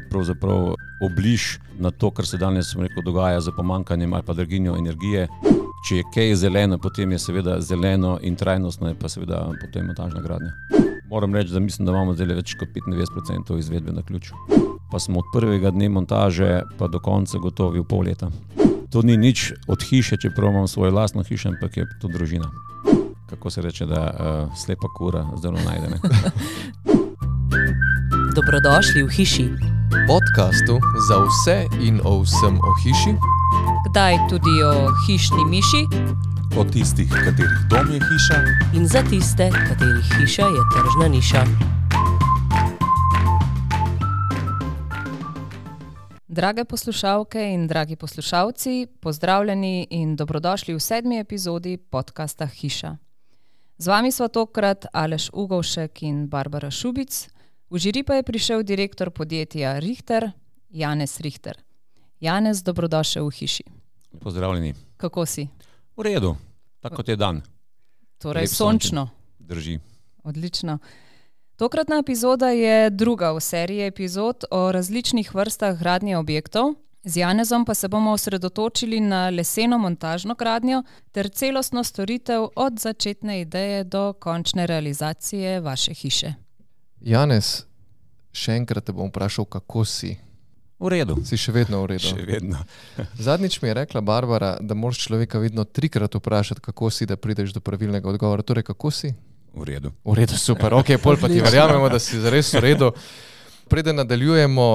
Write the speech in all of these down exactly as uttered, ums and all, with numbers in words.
pravzaprav obliž na to, kar se danes rekel, dogaja z pomanjkanjem ali pa draginjo energije. Če je kaj zeleno, potem je seveda zeleno in trajnostno, je pa seveda potem montažna gradnja. Moram reči, da mislim, da imamo zdaj več kot petindevetdeset procentov izvedbe na ključ. Pa smo od prvega dne montaže pa do konca gotovi v pol leta. To ni nič od hiše, čeprav imam svojo lastno hišo, ampak je to družina. Kako se reče, da uh, slepa kura zdaj najde. Dobrodošli v hiši. Podcastu za vse in o vsem o hiši. Kdaj tudi o hišni miši. O tistih, katerih dom je hiša. In za tiste, katerih hiša je tržna niša. Drage poslušalke in dragi poslušalci, pozdravljeni in dobrodošli v sedmi epizodi podcasta Hiša. Z vami sva tokrat Aleš Ugovšek in Barbara Šubic. V žiri pa je prišel direktor podjetja Richter, Janez Richter. Janez, dobrodošel v hiši. Pozdravljeni. Kako si? V redu, tako kot je dan. Torej Lep sončno. Drži. Odlično. Tokratna epizoda je druga v seriji epizod o različnih vrstah gradnje objektov. Z Janezom pa se bomo osredotočili na leseno montažno gradnjo ter celostno storitev od začetne ideje do končne realizacije vaše hiše. Janez, še enkrat te bom vprašal, kako si? V redu. Si še vedno v redu? Še vedno. Zadnjič mi je rekla Barbara, da moraš človeka vedno trikrat vprašati, kako si, da prideš do pravilnega odgovora. Torej, kako si? V redu. V redu, super. Ok, pol pa ti verjamemo, da si zares v redu. Preden nadaljujemo,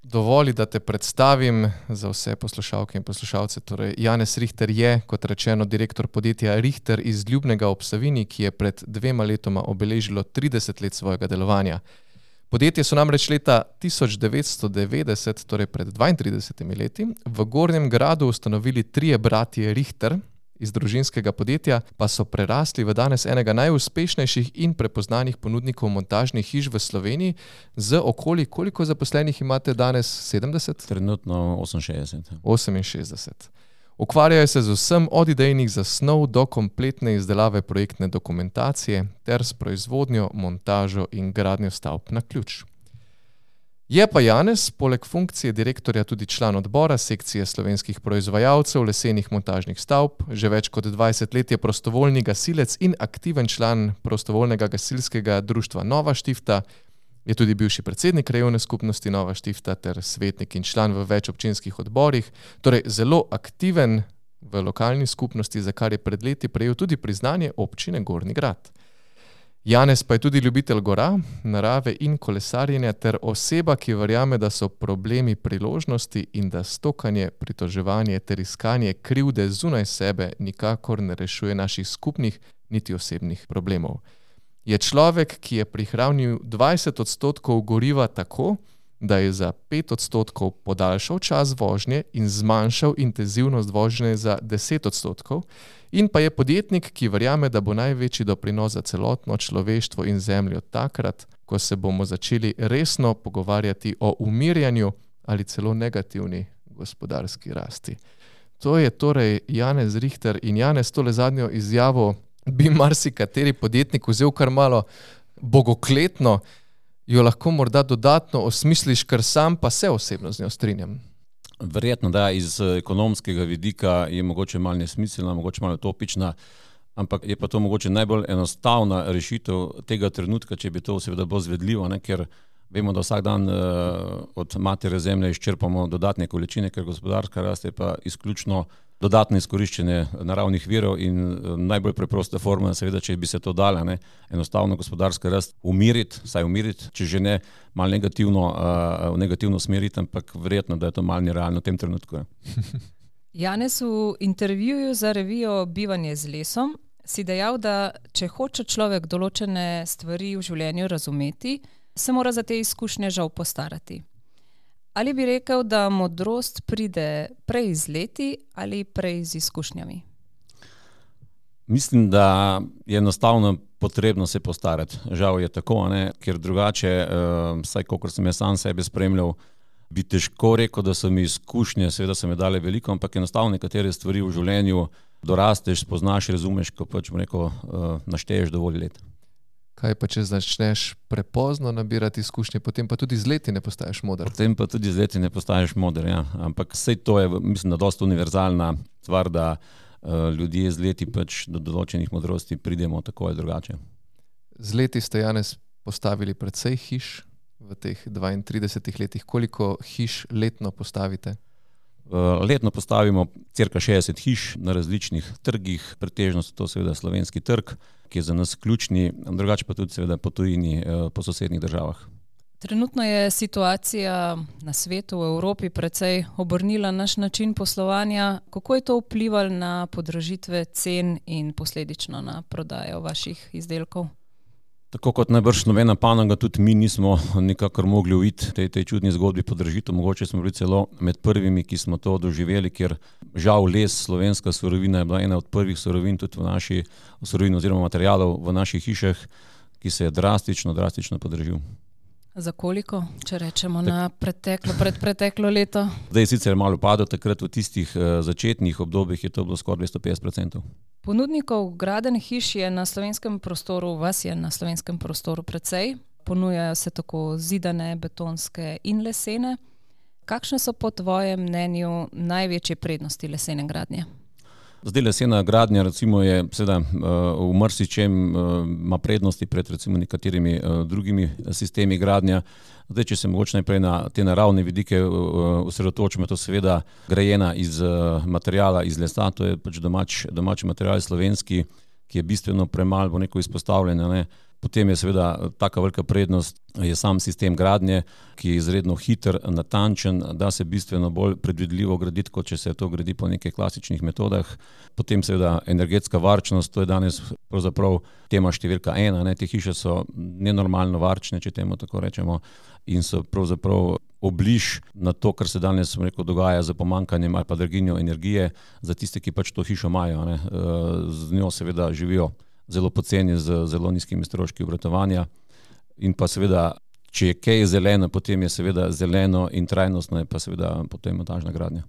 dovoli, da te predstavim za vse poslušalke in poslušalce. Torej, Janez Richter je, kot rečeno, direktor podjetja Richter iz Ljubnega ob Savinji, ki je pred dvema letoma obeležilo trideset let svojega delovanja. Podjetje so namreč leta tisoč devetsto devetdeset, torej pred dvaintridesetimi leti, v Gornjem Gradu ustanovili trije bratje Richter. Iz družinskega podjetja pa so prerasli v danes enega najuspešnejših in prepoznanih ponudnikov montažnih hiš v Sloveniji z okoli, koliko zaposlenih imate danes? sedemdeset? Trenutno oseminšestdeset. oseminšestdeset. Ukvarjajo se z vsem od idejnih zasnov do kompletne izdelave projektne dokumentacije ter s proizvodnjo, montažo in gradnjo stavb na ključ. Je pa Janez, poleg funkcije direktorja, tudi član odbora sekcije slovenskih proizvajalcev lesenih montažnih stavb. Že več kot dvajset let je prostovoljni gasilec in aktiven član prostovoljnega gasilskega društva Nova Štifta. Je tudi bivši predsednik krajevne skupnosti Nova Štifta ter svetnik in član v več občinskih odborih. Torej zelo aktiven v lokalni skupnosti, za kar je pred leti prejel tudi priznanje občine Gornji Grad. Janez pa je tudi ljubitelj gora, narave in kolesarjenja ter oseba, ki verjame, da so problemi priložnosti in da stokanje, pritoževanje ter iskanje krivde zunaj sebe nikakor ne rešuje naših skupnih niti osebnih problemov. Je človek, ki je prihranil dvajset odstotkov goriva tako, da je za pet odstotkov podaljšal čas vožnje in zmanjšal intenzivnost vožnje za deset odstotkov, in pa je podjetnik, ki verjame, da bo največji doprinos za celotno človeštvo in zemljo takrat, ko se bomo začeli resno pogovarjati o umirjanju ali celo negativni gospodarski rasti. To je torej Janez Richter in Janez, tole zadnjo izjavo bi marsikateri podjetnik vzel kar malo bogokletno, jo lahko morda dodatno osmisliš, ker sam pa se osebno z njo strinjam. Verjetno, da iz ekonomskega vidika je mogoče malo nesmiselna, mogoče malo utopična, ampak je pa to mogoče najbolj enostavna rešitev tega trenutka, če bi to seveda bolj zvedljivo, ne? Ker vemo, da vsak dan uh, od matere zemlje izčrpamo dodatne količine, ker gospodarska rast je pa izključno dodatno izkoriščenje naravnih virov in najbolj preprosta forma, seveda, če bi se to dala, ne, enostavno gospodarska rast umiriti, saj umiriti, če že ne malo negativno, uh, negativno smeriti, ampak verjetno, da je to malo nerealno v tem trenutku. Janez, v intervjuju za revijo Bivanje z lesom si dejal, da če hoče človek določene stvari v življenju razumeti, se mora za te izkušnje žal postarati. Ali bi rekel, da modrost pride prej z leti ali prej z izkušnjami? Mislim, da je enostavno potrebno se postarati. Žal je tako, ne? Ker drugače, uh, saj kolikor sem jaz sam sebe spremljal, bi težko rekel, da so mi izkušnje, seveda so mi dale veliko, ampak enostavno nekatere stvari v življenju dorasteš, spoznaš, razumeš, ko pač, rekel, uh, našteješ dovolj let. Kaj pa, če začneš prepozno nabirati izkušnje, potem pa tudi z leti ne postaješ moder? Potem pa tudi z leti ne postaješ moder, ja. Ampak vse to je, mislim, da dosta univerzalna stvar, da uh, ljudje z leti pač do določenih modrosti pridemo tako ali drugače. Z leti ste, Janez, postavili precej hiš v teh dvaintridesetih letih. Koliko hiš letno postavite? Letno postavimo cirka šestdeset hiš na različnih trgih, pretežno so to seveda slovenski trg, ki je za nas ključni, drugače pa tudi seveda po tujini, po sosednjih državah. Trenutno je situacija na svetu, v Evropi precej obrnila naš način poslovanja. Kako je to vplivalo na podražitve cen in posledično na prodajo vaših izdelkov? Tako kot najbrž nobena panoga, tudi mi nismo nikakor mogli uiti tej, tej čudni zgodbi podražitev. Mogoče smo bili celo med prvimi, ki smo to doživeli, ker žal les, slovenska surovina, je bila ena od prvih surovin tudi v naši surovini oziroma materialov v naših hišah, ki se je drastično, drastično podražil. Za koliko, če rečemo tak, na preteklo, predpreteklo leto? Zdaj je sicer malo padlo, takrat v tistih uh, začetnih obdobjih je to bilo skoraj dvesto petdeset procentov. Ponudnikov gradenj hiš je na slovenskem prostoru, vas je na slovenskem prostoru precej. Ponujajo se tako zidane, betonske in lesene. Kakšne so po tvojem mnenju največje prednosti lesene gradnje? Zdaj lesena gradnja recimo je seveda v marsičem ima prednosti pred recimo nekaterimi drugimi sistemi gradnja. Zdaj, če se mogoče najprej na te naravne vidike osredotočimo, to seveda grajena iz materijala, iz lesa, to je pač domač, domači material slovenski, ki je bistveno premalo bo neko izpostavljeno, ne. Potem je seveda taka velika prednost, je sam sistem gradnje, ki je izredno hiter, natančen, da se bistveno bolj predvidljivo graditi, kot če se to gradi po nekih klasičnih metodah. Potem seveda energetska varčnost, to je danes pravzaprav tema številka ena, ne. Te hiše so nenormalno varčne, če temu tako rečemo, in so pravzaprav obliž na to, kar se danes rekel, dogaja z pomanjkanjem ali pa draginjo energije za tiste, ki pač to hišo imajo, ne. Z njo seveda živijo zelo poceni, z zelo nizkimi stroški obratovanja in pa seveda, če je kaj zeleno, potem je seveda zeleno in trajnostno je pa seveda potem montažna gradnja.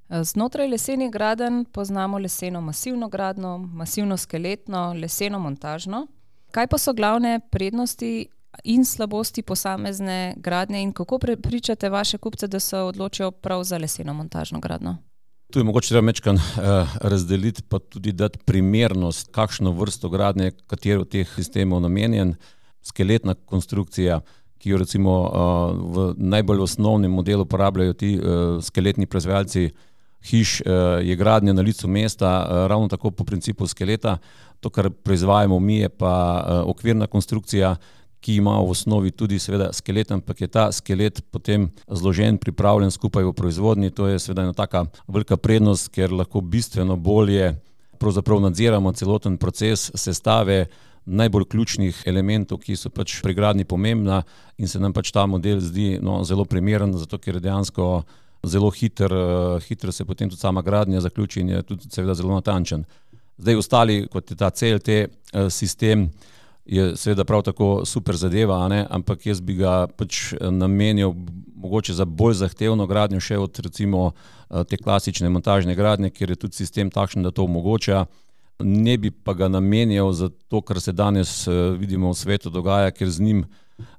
Znotraj lesenih gradenj poznamo leseno masivno gradnjo, masivno skeletno, leseno montažno. Kaj pa so glavne prednosti in slabosti posamezne gradnje in kako prepričate vaše kupce, da se odločijo prav za leseno montažno gradnjo? Tu je mogoče treba mečkan uh, razdeliti, pa tudi dati primernost, kakšno vrsto gradnje, katero od teh sistemov namenjen. Skeletna konstrukcija, ki jo recimo uh, v najbolj osnovnem modelu uporabljajo ti uh, skeletni proizvajalci hiš, uh, je gradnja na licu mesta, uh, ravno tako po principu skeleta. To, kar proizvajamo mi, je pa uh, okvirna konstrukcija, ki ima v osnovi tudi seveda skelet, ampak je ta skelet potem zložen, pripravljen skupaj v proizvodnji. To je seveda ena taka velika prednost, ker lahko bistveno bolje pravzaprav nadziramo celoten proces sestave najbolj ključnih elementov, ki so pač pri gradnji pomembna in se nam pač ta model zdi no, zelo primeren, zato ker je dejansko zelo hiter, hitro se potem tudi sama gradnja zaključi in je tudi seveda zelo natančen. Zdaj ostali, kot je ta C L T sistem, je seveda prav tako super zadeva, ne? Ampak jaz bi ga pač namenil mogoče za bolj zahtevno gradnjo še od recimo te klasične montažne gradnje, kjer je tudi sistem takšen, da to omogoča. Ne bi pa ga namenjal za to, kar se danes vidimo v svetu dogaja, ker z njim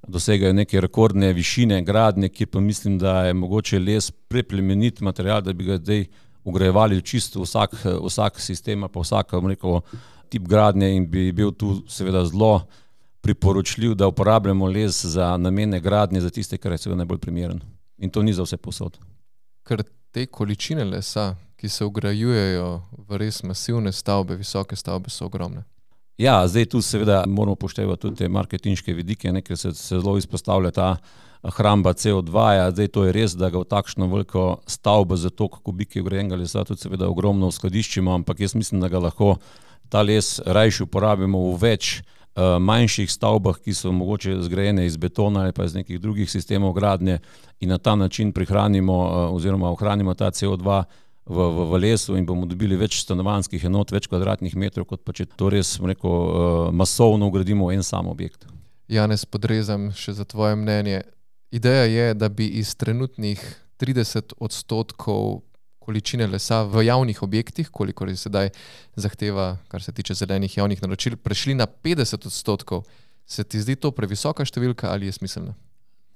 dosegajo neke rekordne višine gradnje, kjer pa mislim, da je mogoče les preplemenit material, da bi ga zdaj ugrajevali čisto vsak, vsak sistem, pa vsak, rekel, tip gradnje in bi bil tu seveda zelo priporočljiv, da uporabljamo les za namene gradnje, za tiste, kar je seveda najbolj primeren. In to ni za vse posod. Ker te količine lesa, ki se vgrajujejo v res masivne stavbe, visoke stavbe, so ogromne. Ja, zdaj tu seveda moramo upoštevati tudi te marketinške vidike, ne, ker se, se zelo izpostavlja ta hramba C O dva, ja, zdaj to je res, da ga v takšno veliko stavbo za toliko kubike vgrajenega lesa tudi seveda ogromno uskladiščimo, ampak jaz mislim, da ga lahko ta les rajši uporabimo v več uh, manjših stavbah, ki so mogoče zgrajene iz betona ali pa iz nekih drugih sistemov gradnje in na ta način prihranimo uh, oziroma ohranimo ta C O dva v, v, v lesu in bomo dobili več stanovanjskih enot, več kvadratnih metrov, kot pa če to res rekel, uh, masovno ugradimo v en sam objekt. Janez, podrezam še za tvoje mnenje. Ideja je, da bi iz trenutnih trideset odstotkov količine lesa v javnih objektih, koliko je sedaj zahteva, kar se tiče zelenih javnih naročil, prešli na petdeset odstotkov. Se ti zdi to previsoka številka ali je smiselna?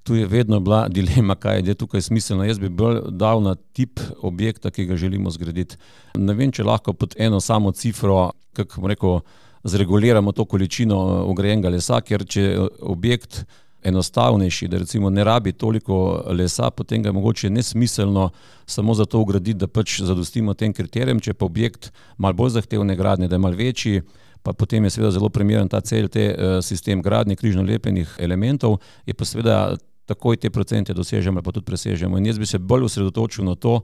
Tu je vedno bila dilema, kaj je tukaj smiselno. Jaz bi bolj dal na tip objekta, ki ga želimo zgraditi. Ne vem, če lahko pod eno samo cifro, kako bom rekel, zreguliramo to količino vgrajenega lesa, ker če objekt enostavnejši, da recimo ne rabi toliko lesa, potem ga je mogoče nesmiselno samo zato ugraditi, da pač zadostimo tem kriterijem. Če pa objekt malo bolj zahtevne gradnje, da je malo večji, pa potem je seveda zelo primeren ta cel te sistem gradnje križno lepljenih elementov, je pa seveda takoj te procente dosežemo ali pa tudi presežemo. In jaz bi se bolj osredotočil na to,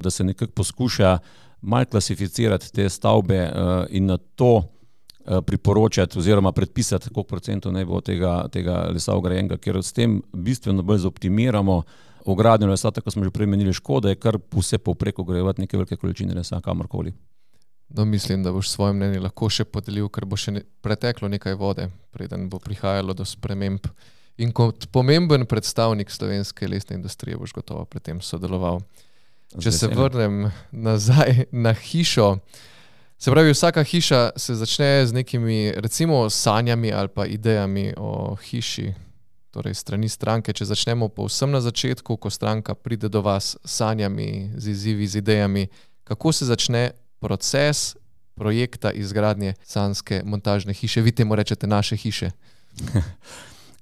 da se nekako poskuša malo klasificirati te stavbe in na to priporočati oziroma predpisati, koliko procentov naj bo tega, tega lesa vgrajenega, ker s tem bistveno bolj zoptimiramo vgradnjo lesa, tako smo že prej menili, škoda je kar vse povprek vgrajevati neke velike količine lesa kamorkoli. No, mislim, da boš svoje mnenje lahko še podelil, ker bo še ne, preteklo nekaj vode, preden bo prihajalo do sprememb. In kot pomemben predstavnik slovenske lesne industrije boš gotovo pri tem sodeloval. Če se vrnem nazaj na hišo, se pravi, vsaka hiša se začne z nekimi, recimo, sanjami ali pa idejami o hiši, torej strani stranke. Če začnemo povsem na začetku, ko stranka pride do vas s sanjami, z izzivi, z idejami, kako se začne proces projekta izgradnje sanjske montažne hiše? Vi temu rečete naše hiše.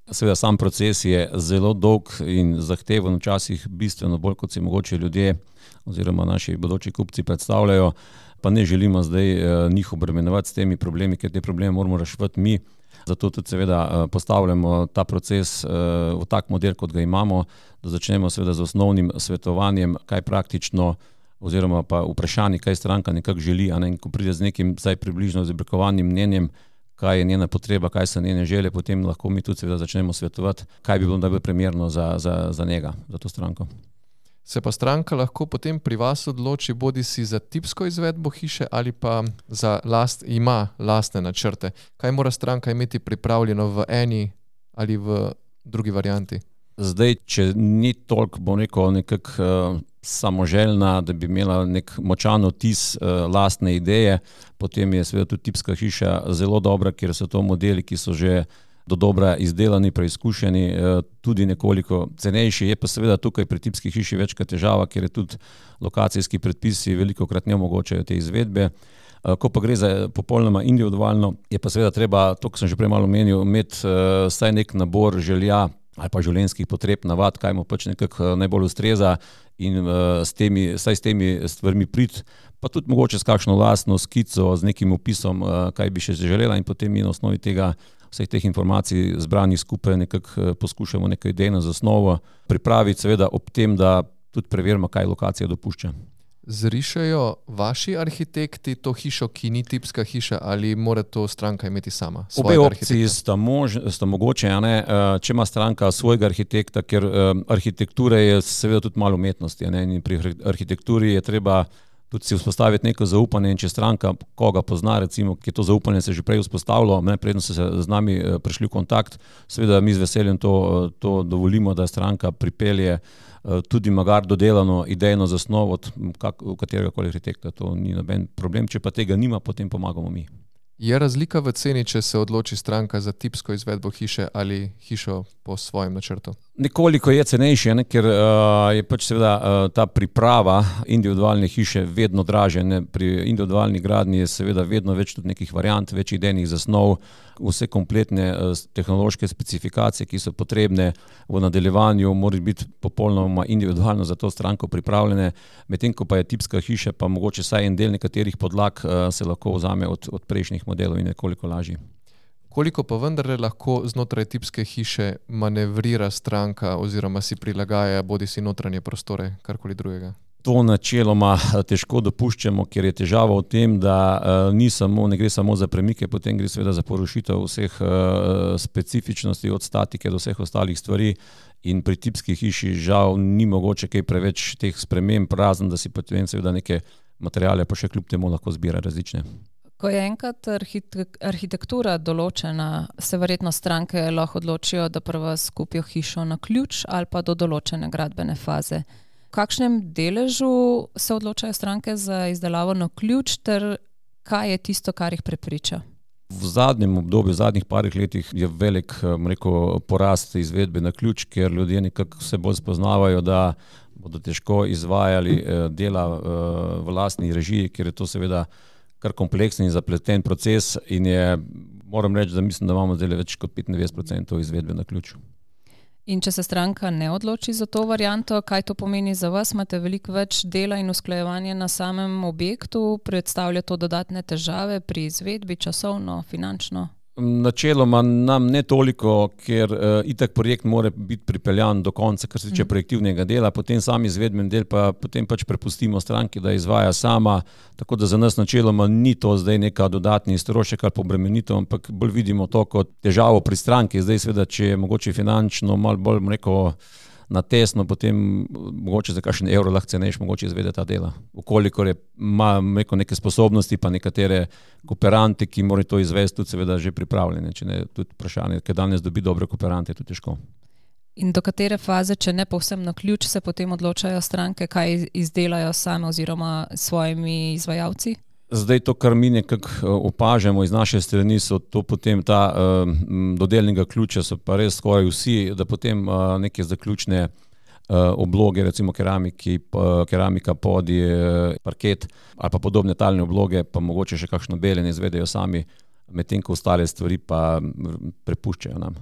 Seveda sam proces je zelo dolg in zahteven, včasih bistveno bolj, kot si mogoče ljudje oziroma naši bodoči kupci predstavljajo, pa ne želimo zdaj njih obremenjevati s temi problemi, ker te probleme moramo reševati mi. Zato tudi seveda postavljamo ta proces v tak model, kot ga imamo, da začnemo seveda z osnovnim svetovanjem, kaj praktično oziroma pa vprašanje, kaj stranka nekako želi, a ne, ko pride z nekim zdaj približno izoblikovanim mnenjem, kaj je njena potreba, kaj so njene želje, potem lahko mi tudi seveda začnemo svetovati, kaj bi bilo najbolj primerno za, za, za njega, za to stranko. Se pa stranka lahko potem pri vas odloči bodi si za tipsko izvedbo hiše ali pa za last, ima lastne načrte. Kaj mora stranka imeti pripravljeno v eni ali v drugi varianti? Zdaj, če ni toliko, bom rekel, nekako uh, samoželjna, da bi imela nek močan vtis uh, lastne ideje, potem je seveda tudi tipska hiša zelo dobra, ker so to modeli, ki so že do dobra izdelani, preizkušeni, uh, tudi nekoliko cenejši. Je pa seveda tukaj pri tipski hiši večkrat težava, ker je tudi lokacijski predpisi velikokrat ne omogočajo te izvedbe. Uh, ko pa gre za popolnoma individualno, je pa seveda treba, to, ko sem že prej malo omenil, imeti uh, vsaj nek nabor želja ali pa življenjskih potreb, navad, kaj mu pač nekako najbolj ustreza in uh, s temi, saj s temi stvarmi priti, pa tudi mogoče s kakšno lastno skico, z nekim opisom, uh, kaj bi še želela, in potem mi na osnovi tega, vseh teh informacij zbranih skupaj nekako uh, poskušamo neko idejno zasnovo pripraviti, seveda ob tem, da tudi preverimo, kaj lokacija dopušča. Zrišajo vaši arhitekti to hišo, ki ni tipska hiša, ali mora to stranka imeti sama? Obe opciji sta, mož, sta mogoče, a ne, če ima stranka svojega arhitekta, ker arhitektura je seveda tudi malo umetnosti, a ne, in pri arhitekturi je treba tudi si vzpostaviti neko zaupanje, in če stranka koga pozna, recimo, ki je to zaupanje se že prej vzpostavilo, ne, predno so se z nami prišli v kontakt, seveda mi z veseljem to, to dovolimo, da stranka pripelje tudi magar dodelano idejno zasnovo od katerega koli arhitekta, to ni noben problem, če pa tega nima, potem pomagamo mi. Je razlika v ceni, če se odloči stranka za tipsko izvedbo hiše ali hišo po svojem načrtu? Nekoliko je cenejše, ne, ker uh, je pač seveda uh, ta priprava individualne hiše vedno dražja. Ne. Pri individualni gradnji je seveda vedno več tudi nekih variant, več idejnih zasnov, vse kompletne uh, tehnološke specifikacije, ki so potrebne v nadaljevanju, morajo biti popolnoma individualno za to stranko pripravljene, medtem ko pa je tipska hiša, pa mogoče saj en del nekaterih podlag uh, se lahko vzame od, od prejšnjih modelov in nekoliko lažji. Koliko pa vendarle lahko znotraj tipske hiše manevrira stranka oziroma si prilagaja bodi si notranje prostore, karkoli drugega? To načeloma težko dopuščamo, ker je težava v tem, da uh, ni samo, ne gre samo za premike, potem gre seveda za porušitev vseh uh, specifičnosti od statike do vseh ostalih stvari, in pri tipski hiši žal ni mogoče kaj preveč teh sprememb, razen da si potem seveda neke materiale pa še kljub temu lahko zbira različne. Ko je enkrat arhitektura določena, se verjetno stranke lahko odločijo, da prva skupijo hišo na ključ ali pa do določene gradbene faze. V kakšnem deležu se odločajo stranke za izdelavo na ključ, ter kaj je tisto, kar jih prepriča? V zadnjem obdobju, v zadnjih parih letih je velik rekel, porast izvedbe na ključ, ker ljudje nekako se bolj spoznavajo, da bodo težko izvajali dela v lastni režiji, ker je to seveda kar kompleksen in zapleten proces in je, moram reči, da mislim, da imamo zdaj več kot petindevetdeset procentov izvedbe na ključ. In če se stranka ne odloči za to varianto, kaj to pomeni za vas? Imate veliko več dela in usklajevanja na samem objektu? Predstavlja to dodatne težave pri izvedbi, časovno, finančno? Načeloma nam ne toliko, ker uh, itak projekt mora biti pripeljan do konca, kar se tiče projektivnega dela, potem sam izvedben del pa potem pač prepustimo stranki, da izvaja sama, tako da za nas načeloma ni to zdaj neka dodatni strošek ali pobremenitev, ampak bolj vidimo to kot težavo pri stranki. Zdaj seveda, če je mogoče finančno malo bolj rekel, na tesno, potem mogoče za kakšen evro lahko cenejš mogoče izvede ta dela. Ukolikor je, ima neke sposobnosti pa nekatere kooperante, ki morajo to izvesti, tudi seveda že pripravljene, če ne tudi vprašanje, ker danes dobi dobre kooperante, je to težko. In do katere faze, če ne povsem na ključ, se potem odločajo stranke, kaj izdelajo same oziroma s svojimi izvajalci? Zdaj to, kar mi nekako opažamo iz naše strani, so to potem ta uh, dodelnega ključa, so pa res skoraj vsi, da potem uh, neke zaključne uh, obloge, recimo keramiki, uh, keramika, podi, uh, parket ali pa podobne talne obloge, pa mogoče še kakšno beljenje izvedejo sami, medtem ko ostale stvari pa prepuščajo nam.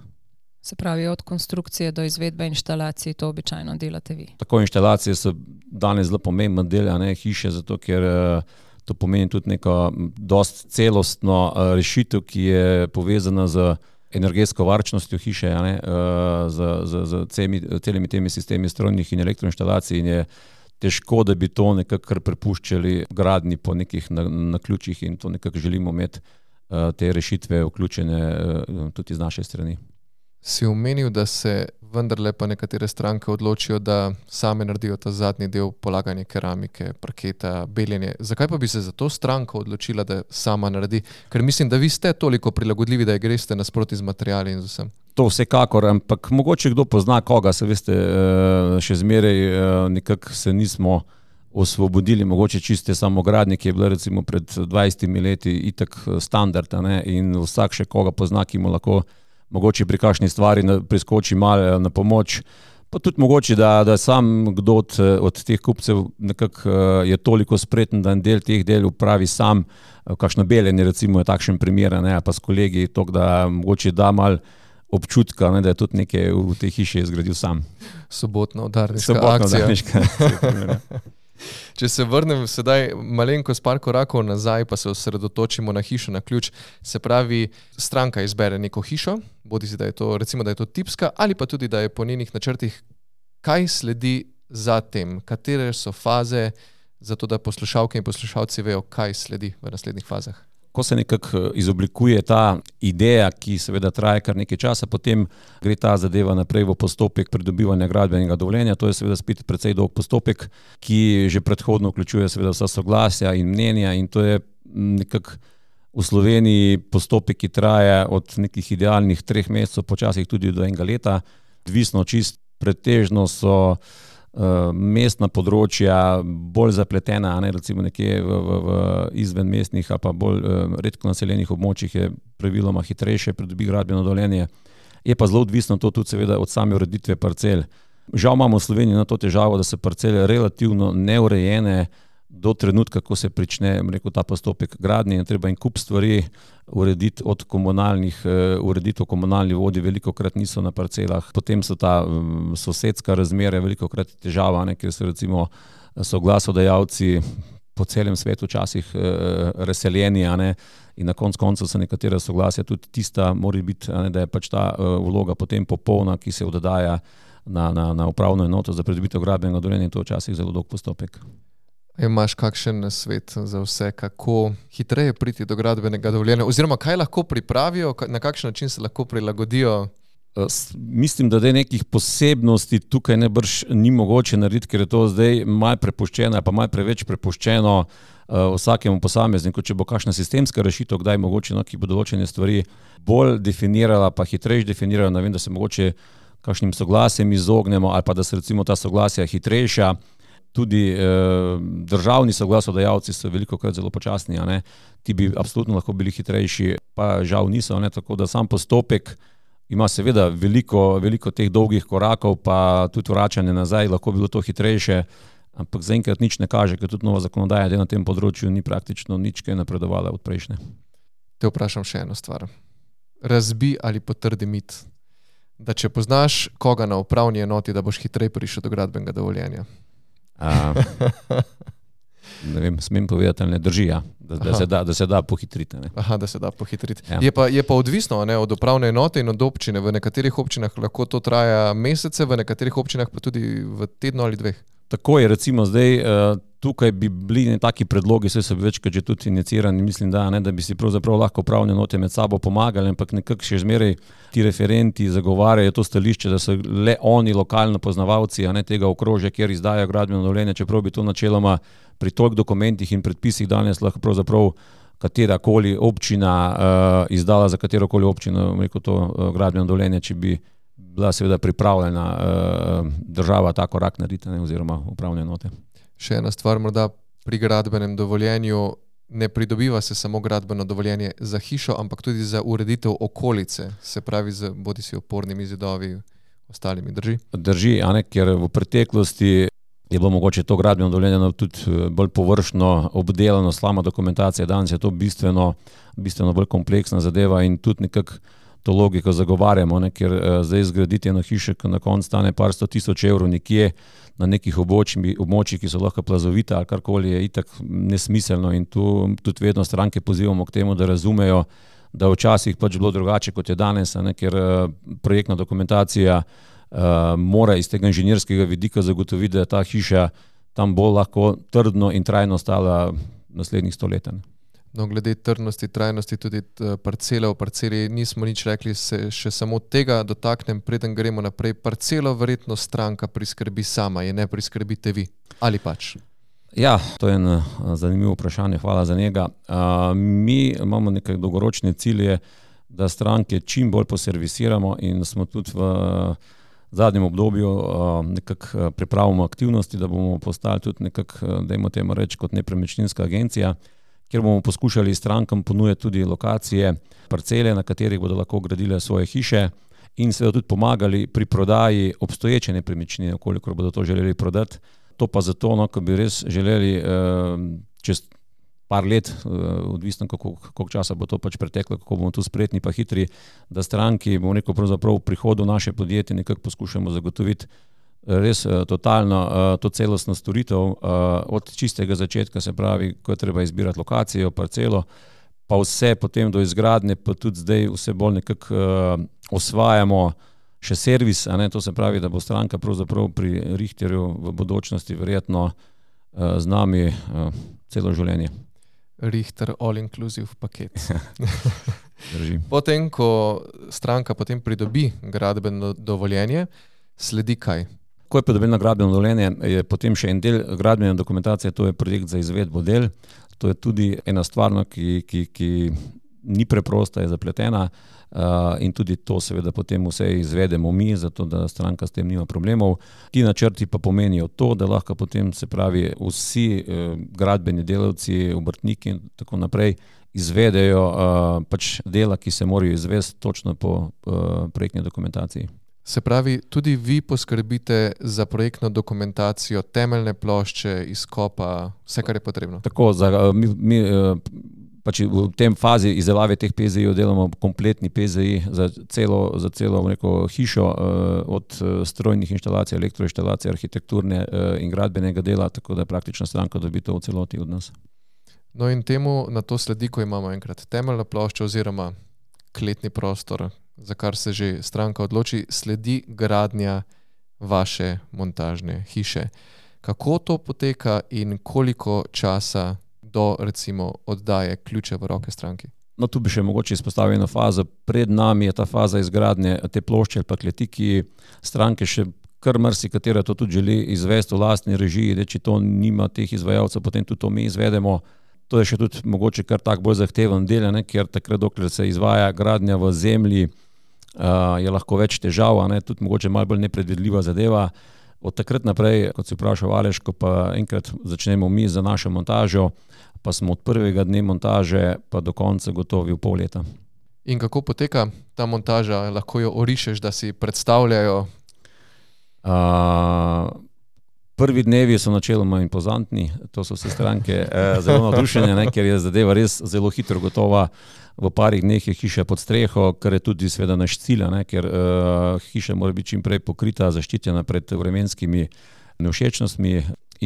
Se pravi, od konstrukcije do izvedbe inštalacij to običajno delate vi? Tako, inštalacije so danes zelo pomemben del, a ne hiše, zato ker uh, to pomeni tudi neko dost celostno rešitev, ki je povezana z energetsko varčnostjo hiše, ja, ne, z, z, z celimi, celimi temi sistemi strojnih in elektroinštalacij in je težko, da bi to nekako kar prepuščali gradnji po nekih naključjih in to nekako želimo imeti te rešitve vključene tudi z naše strani. Si omenil, da se vendarle pa nekatere stranke odločijo, da same naredijo ta zadnji del, polaganje keramike, parketa, beljenje. Zakaj pa bi se za to stranka odločila, da sama naredi? Ker mislim, da vi ste toliko prilagodljivi, da je greste nasproti z materiali in z vsem. To vsekakor, ampak mogoče kdo pozna koga, se veste, še zmeraj nekako se nismo osvobodili, mogoče čiste samogradnje, ki je bila recimo pred dvajsetimi leti itak standard, ne, in vsak še koga pozna, ki mu lahko mogoče pri kakšni stvari priskoči malo na pomoč, pa tudi mogoče, da, da sam kdo od, od teh kupcev nekako je toliko spreten, da en del teh del upravi sam, kakšno beljenje recimo je takšen primer, ne, pa s kolegi, tok, da mogoče da malo občutka, ne, da je tudi nekaj v tej hiši izgradil sam. Sobotna udarniška akcija. Udarniška. Če se vrnem sedaj malenko s par korakov nazaj, pa se osredotočimo na hišo na ključ, se pravi, stranka izbere neko hišo, bodi si, da je to, recimo, da je to tipska, ali pa tudi, da je po njenih načrtih, kaj sledi za tem, katere so faze, zato da poslušalke in poslušalci vejo, kaj sledi v naslednjih fazah. Ko se nekako izoblikuje ta ideja, ki seveda traja kar nekaj časa, potem gre ta zadeva naprej v postopek pridobivanja gradbenega dovoljenja. To je seveda spet precej dolg postopek, ki že predhodno vključuje seveda vsa soglasja in mnenja in to je nekako v Sloveniji postopek, ki traja od nekih idealnih treh mesecev, počasih tudi do enega leta. Odvisno čist pretežno so mestna področja bolj zapletena, ne, recimo nekje v, v, v izven mestnih ali pa bolj redko naseljenih območjih je praviloma hitrejše pridobi gradbeno dovoljenje. Je pa zelo odvisno to tudi seveda od same ureditve parcel. Žal imamo v Sloveniji na to težavo, da so parcele relativno neurejene do trenutka, ko se prične rekel, ta postopek gradnje in treba en kup stvari urediti od komunalnih, ureditev komunalnih vodi, veliko krat niso na parcelah. Potem so ta um, sosedska razmere veliko krat težava, ne, ker so recimo soglasodajalci po celem svetu včasih uh, razseljeni, a ne, in na konc koncev so nekatera soglasja tudi tista, mora biti, a ne, da je pač ta uh, vloga potem popolna, ki se oddaja na, na, na upravno enoto za pridobitev gradbenega dovoljenja, in to včasih zelo dolg postopek. Imaš kakšen nasvet za vse, kako hitreje priti do gradbenega dovoljenja, oziroma kaj lahko pripravijo, na kakšen način se lahko prilagodijo? Mislim, da nekih posebnosti tukaj nebrž ni mogoče narediti, ker je to zdaj malo prepuščeno, pa malo preveč prepuščeno vsakemu posamezniku. Če bo kakšna sistemska rešitev, kdaj mogoče, no, ki bo določene stvari bolj definirala, pa hitrejš definirala, ne vem, da se mogoče kakšnim soglasjem izognemo, ali pa da se recimo ta soglasja hitrejša. tudi uh, državni soglasodajalci so veliko krat zelo počasni, a ne. Ti bi absolutno lahko bili hitrejši, pa žal niso, ne, tako da sam postopek ima seveda veliko, veliko teh dolgih korakov, pa tudi vračanje nazaj, lahko bi bilo to hitrejše, ampak zaenkrat nič ne kaže, ker tudi nova zakonodaja na tem področju ni praktično nič kaj napredovala od prejšnje. Te vprašam še eno stvar. Razbi ali potrdi mit, da če poznaš koga na upravni enoti, da boš hitrej prišel do gradbenega dovoljenja. A, ne vem, smem povedati, ali ne drži, ja, da, da, se da, da se da pohitriti. Ne. Aha, da se da pohitriti. Ja. Je pa, je pa odvisno, ne, od upravne enote in od občine. V nekaterih občinah lahko to traja mesece, v nekaterih občinah pa tudi v tednu ali dveh. Tako je, recimo zdaj, tukaj bi bili taki predlogi, vse so večkrat že tudi inicirani, mislim, da, ne, da bi si pravzaprav lahko upravne enote med sabo pomagali, ampak nekako še zmeraj ti referenti zagovarjajo to stališče, da so le oni lokalno poznavalci, a ne tega okrožja, kjer izdajajo gradbeno dovoljenje, čeprav bi to načeloma pri toliko dokumentih in predpisih danes lahko pravzaprav katerakoli občina uh, izdala za katerokoli občino, rekel to uh, gradbeno dovoljenje, če bi bila seveda pripravljena uh, država ta korak narediti, ne, oziroma upravne enote. Še ena stvar, morda pri gradbenem dovoljenju ne pridobiva se samo gradbeno dovoljenje za hišo, ampak tudi za ureditev okolice, se pravi z bodisi opornimi zidovi, ostalimi, drži? Drži, a ne, ker v preteklosti je bilo mogoče to gradbeno dovoljenje tudi bolj površno obdelano, slama dokumentacija, danes je to bistveno, bistveno bolj kompleksna zadeva in tudi nekako to logiko zagovarjamo, ne, ker uh, zdaj zgraditi eno hišo, ki na koncu stane par sto tisoč evrov nekje na nekih območjih, območjih, ki so lahko plazovita ali karkoli, je itak nesmiselno in tu tudi vedno stranke pozivamo k temu, da razumejo, da včasih pač bilo drugače, kot je danes, ne, ker uh, projektna dokumentacija uh, mora iz tega inženirskega vidika zagotoviti, da je ta hiša tam bolj lahko trdno in trajno stala naslednjih sto let. No, glede trdnosti, trajnosti, tudi parcele v parceli nismo nič rekli, se še samo tega dotaknem, preden gremo naprej. Parcelo verjetno stranka priskrbi sama, je ne priskrbite vi, ali pač? Ja, to je eno zanimivo vprašanje, hvala za njega. Uh, mi imamo nekaj dolgoročne cilje, da stranke čim bolj poservisiramo in smo tudi v zadnjem obdobju uh, nekako pripravimo aktivnosti, da bomo postali tudi nekako, dajmo temu reči, kot nepremičninska agencija, kjer bomo poskušali strankam ponujati tudi lokacije, parcele, na katerih bodo lahko gradile svoje hiše in seveda tudi pomagali pri prodaji obstoječe nepremičnine, kolikor bodo to želeli prodati. To pa zato, no, ko bi res želeli uh, čez par let, uh, odvisno kako, koliko časa bo to pač preteklo, kako bomo tu spretni pa hitri, da stranki, bomo rekel, pravzaprav v prihodu naše podjetje nekako poskušamo zagotoviti res uh, totalno uh, to celostno storitev uh, od čistega začetka, se pravi, ko je treba izbirati lokacijo, parcelo, pa vse potem do izgradnje, pa tudi zdaj vse bolj nekako uh, osvajamo še servis, a ne, to se pravi, da bo stranka pravzaprav pri Richterju v bodočnosti verjetno uh, z nami uh, celo življenje. Richter all inclusive paket. Drži. Potem, ko stranka potem pridobi gradbeno dovoljenje, sledi kaj? Ko je pridobljeno gradbeno dovoljenje, je potem še en del gradbene dokumentacije, to je projekt za izvedbo del. To je tudi ena stvar, ki, ki, ki ni preprosta, je zapletena uh, in tudi to seveda potem vse izvedemo mi, zato da stranka s tem nima problemov. Ti načrti pa pomenijo to, da lahko potem, se pravi, vsi uh, gradbeni delavci, obrtniki in tako naprej izvedejo uh, pač dela, ki se morajo izvesti točno po uh, projektni dokumentaciji. Se pravi, tudi vi poskrbite za projektno dokumentacijo, temeljne plošče, izkopa, vse, kar je potrebno? Tako, za, mi, mi pač v tem fazi izdelave teh P Z I-jev delamo kompletni P Z I za celo, za celo neko hišo, od strojnih inštalacij, elektroinštalacij, arhitekturne in gradbenega dela, tako da praktično stranka dobi to v celoti od nas. No in temu na to sledi, ko imamo enkrat temeljno ploščo oziroma kletni prostor, za kar se že stranka odloči, sledi gradnja vaše montažne hiše. Kako to poteka in koliko časa do, recimo, oddaje ključe v roke stranki? No, tu bi še mogoče izpostavil eno fazo. Pred nami je ta faza izgradnje te plošče ali pa kleti, ki stranke še kar marsikatera to tudi želi izvesti v lastni režiji, da če to nima teh izvajalcev, potem tudi to mi izvedemo. To je še tudi mogoče kar tak bolj zahteven del, ne, ker takrat, dokler se izvaja gradnja v zemlji, uh, je lahko več težav, ne, tudi mogoče malo bolj nepredvidljiva zadeva. Od takrat naprej, kot si vprašal Aleš, ko pa enkrat začnemo mi za našo montažo, pa smo od prvega dne montaže pa do konca gotovi v pol leta. In kako poteka ta montaža? Lahko jo orišeš, da si predstavljajo? Uh, prvi dnevi so načeloma impozantni, to so vse stranke uh, zelo navdušene, ne, ker je zadeva res zelo hitro gotova. V parih dneh je hiša pod streho, kar je tudi seveda naš cilj, ne, ker uh, hiša mora biti čim prej pokrita, zaščitena pred vremenskimi nevšečnostmi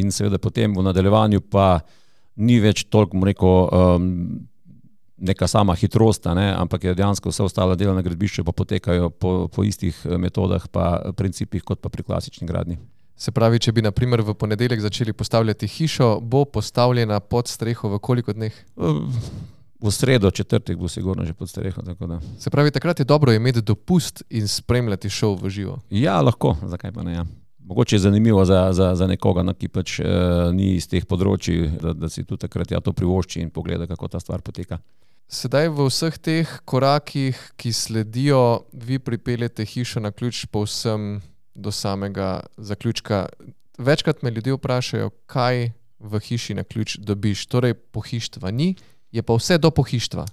in seveda potem v nadaljevanju pa ni več toliko, rekel, um, neka sama hitrost, ne, ampak je dejansko vse ostala dela na gradbišču pa potekajo po, po istih metodah pa principih kot pa pri klasični gradnji. Se pravi, če bi na primer v ponedeljek začeli postavljati hišo, bo postavljena pod streho v koliko dneh? Uh, V sredo, četrtek bo sigurno že pod streho. Tako da. Se pravi, takrat je dobro imeti dopust in spremljati šov v živo. Ja, lahko, zakaj pa ne. Ja. Mogoče je zanimivo za, za, za nekoga, no, ki pač e, ni iz teh področji, da, da si tudi takrat ja to privošči in pogleda, kako ta stvar poteka. Sedaj v vseh teh korakih, ki sledijo, vi pripeljete hišo na ključ povsem do samega zaključka. Večkrat me ljudje vprašajo, kaj v hiši na ključ dobiš. Torej, pohištva ni, je pa vse do pohištva.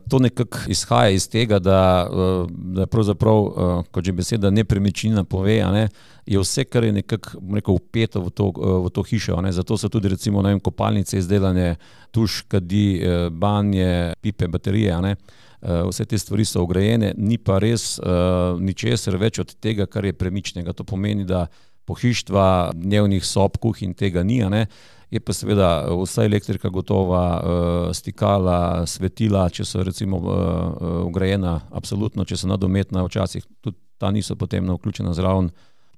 To nekako izhaja iz tega, da, da pravzaprav, kot že beseda nepremičnina pove, a ne, je vse, kar je nekako rekel, vpeto v to, v to hišo. A ne. Zato so tudi recimo ne vem, kopalnice izdelane, tuš, kadi, banje, pipe, baterije. A ne. Vse te stvari so vgrajene, ni pa res uh, ničesar več od tega, kar je premičnega. To pomeni, da pohištva, dnevnih sob, kuhinj tega ni, a ne. Je pa seveda vsa elektrika gotova, stikala, svetila, če so recimo vgrajena, absolutno, če so nadometna, včasih tudi ta niso potem vključena zraven,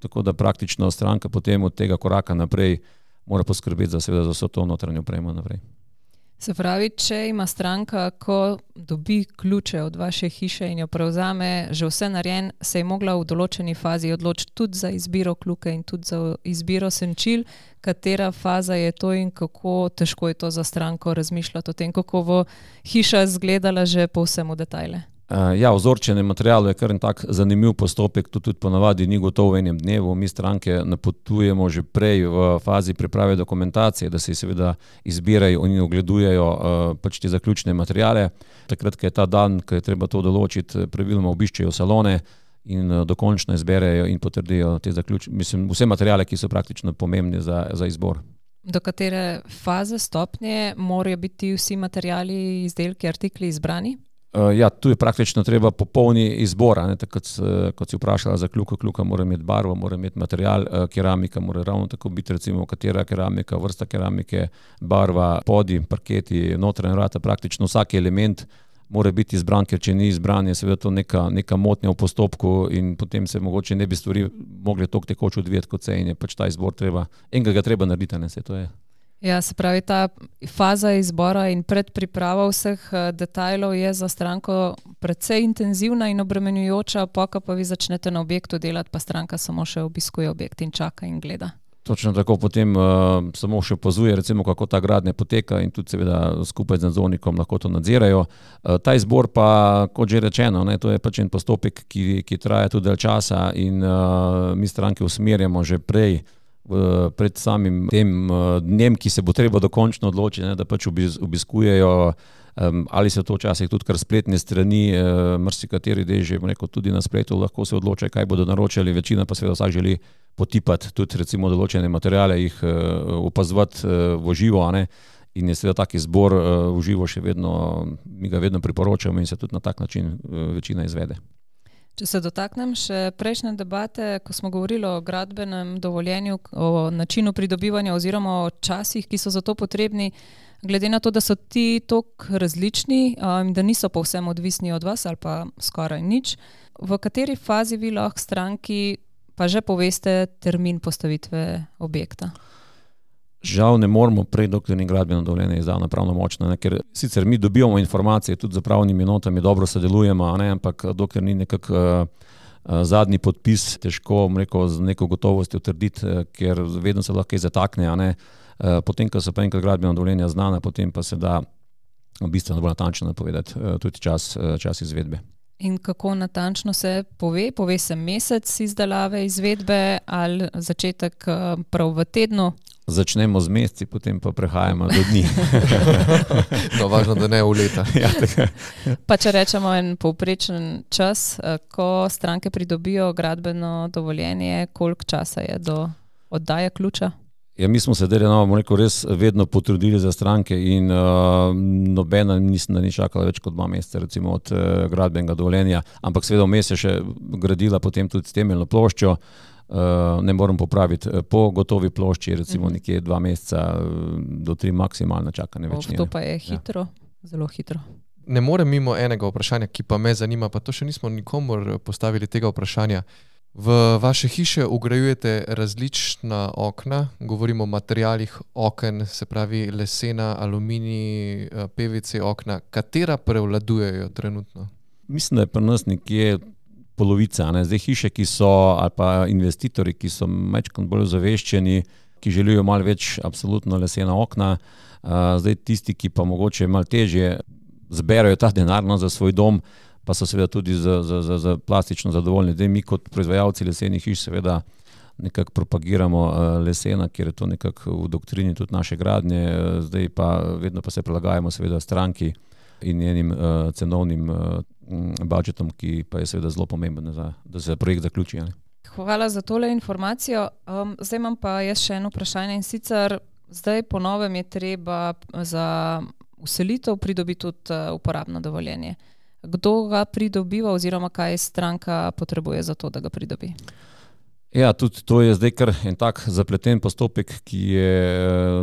tako da praktično stranka potem od tega koraka naprej mora poskrbeti za seveda za vso to notranjo opremo naprej. Se pravi, če ima stranka, ko dobi ključe od vaše hiše in jo prevzame, že vse narejen, se je mogla v določeni fazi odločiti tudi za izbiro kljuke in tudi za izbiro senčil. Katera faza je to in kako težko je to za stranko razmišljati o tem, kako bo hiša izgledala že povsem v detajle? Ja, vzorčenje materialov je kar en tak zanimiv postopek, to tudi ponavadi ni gotovo v enem dnevu. Mi stranke napotujemo že prej v fazi priprave dokumentacije, da se seveda izbirajo in ogledujejo pač te zaključne materiale. Takrat, ko je ta dan, ko je treba to določiti, praviloma obiščejo salone in dokončno izberejo in potrdijo te zaključne, mislim, vse materiale, ki so praktično pomembni za, za izbor. Do katere faze, stopnje morajo biti vsi materiali, izdelki, artikli izbrani? Ja, tu je praktično treba popolni izbor, ne, tako kot, kot si vprašala za kljuko, kljuka mora imeti barvo, mora imeti material, keramika mora ravno tako biti, recimo katera keramika, vrsta keramike, barva, podi, parketi, notranja vrata, praktično vsak element mora biti izbran, ker če ni izbran, je seveda to neka, neka motnja v postopku in potem se mogoče ne bi stvari mogli toliko tekoče odvijati kot se in je pač ta izbor treba, enega ga treba narediti, ne, se to je. Ja, se pravi, ta faza izbora in predpriprava vseh detajlov je za stranko precej intenzivna in obremenjujoča, pa pa vi začnete na objektu delati, pa stranka samo še obiskuje objekt in čaka in gleda. Točno tako, potem uh, samo še opazuje, recimo, kako ta gradnja poteka in tudi seveda skupaj z nadzornikom lahko to nadzirajo. Uh, ta izbor pa, kot že rečeno, ne, to je pač en postopek, ki, ki traja tudi del časa in uh, mi stranke usmerjamo že prej pred samim tem dnem, ki se bo treba dokončno odločiti, ne, da pač obiskujejo, um, ali se to včasih tudi kar spletne strani, uh, marsikateri del že rekel, tudi na spletu lahko se odločajo, kaj bodo naročali, večina pa seveda vsak želi potipati tudi recimo določene materiale, jih uh, opazovati uh, v živo, a ne, in je seveda tak izbor uh, v živo še vedno, mi ga vedno priporočamo in se tudi na tak način uh, večina izvede. Če se dotaknem še prejšnje debate, ko smo govorili o gradbenem dovoljenju, o načinu pridobivanja oziroma o časih, ki so za to potrebni, glede na to, da so ti toliko različni, um, da niso povsem odvisni od vas ali pa skoraj nič, v kateri fazi vi lahko stranki pa že poveste termin postavitve objekta? Žal ne moramo prej, dokler ni gradbeno dovoljenje izdano pravnomočno, ne, ker sicer mi dobivamo informacije, tudi za pravnimi enotami dobro sodelujemo, ne, ampak dokler ni nekak uh, zadnji podpis, težko rekel, z neko gotovostjo trditi, ker vedno se lahko zatakne, a ne. Uh, potem, ko so pa enkrat gradbeno dovoljenja znana, potem pa se da bistveno bolj natančno napovedati uh, tudi čas, uh, čas izvedbe. In kako natančno se pove? Pove se mesec izdelave, izvedbe ali začetek prav v tednu? Začnemo z meseci, potem pa prehajamo do dni. No, važno, da ne v leta. Ja, tako. Pa če rečemo en povprečen čas, ko stranke pridobijo gradbeno dovoljenje, koliko časa je do oddaje ključa? Ja, mi smo se delali, rekel, res vedno potrudili za stranke in uh, nobena mislim, da ni čakala več kot dva meseca recimo od uh, gradbenega dovoljenja, ampak seveda vmes je še gradila potem tudi temeljno ploščo, uh, ne moram popraviti, po gotovi plošči recimo nekje dva meseca do tri maksimalno čakanje več. To pa je hitro, ja. Zelo hitro. Ne morem mimo enega vprašanja, ki pa me zanima, pa to še nismo nikomor postavili tega vprašanja. V vaše hiše vgrajujete različna okna, govorimo o materialih oken, se pravi lesena, aluminij, P V C okna. Katera prevladujejo trenutno? Mislim, da je pri nas nekje polovica. Ne? Zdaj hiše, ki so, ali pa investitorji, ki so malo bolj zaveščeni, ki želijo malo več absolutno lesena okna, zdaj tisti, ki pa mogoče malo težje zberajo ta denar no, za svoj dom, pa so seveda tudi za, za, za, za plastično zadovoljni. Zdaj mi kot proizvajalci lesenih hiš seveda nekako propagiramo lesena, ker je to nekako v doktrini tudi naše gradnje, zdaj pa vedno pa se prilagajamo seveda stranki in njenim uh, cenovnim uh, budžetom, ki pa je seveda zelo pomemben, za, da se projekt zaključi. Ne? Hvala za tole informacijo. Um, zdaj imam pa jaz še eno vprašanje in sicer zdaj po novem je treba za vselitev pridobiti tudi uh, uporabno dovoljenje. Kdo ga pridobiva oziroma kaj stranka potrebuje za to, da ga pridobi? Ja, tudi to je zdaj kar en tak zapleten postopek, ki je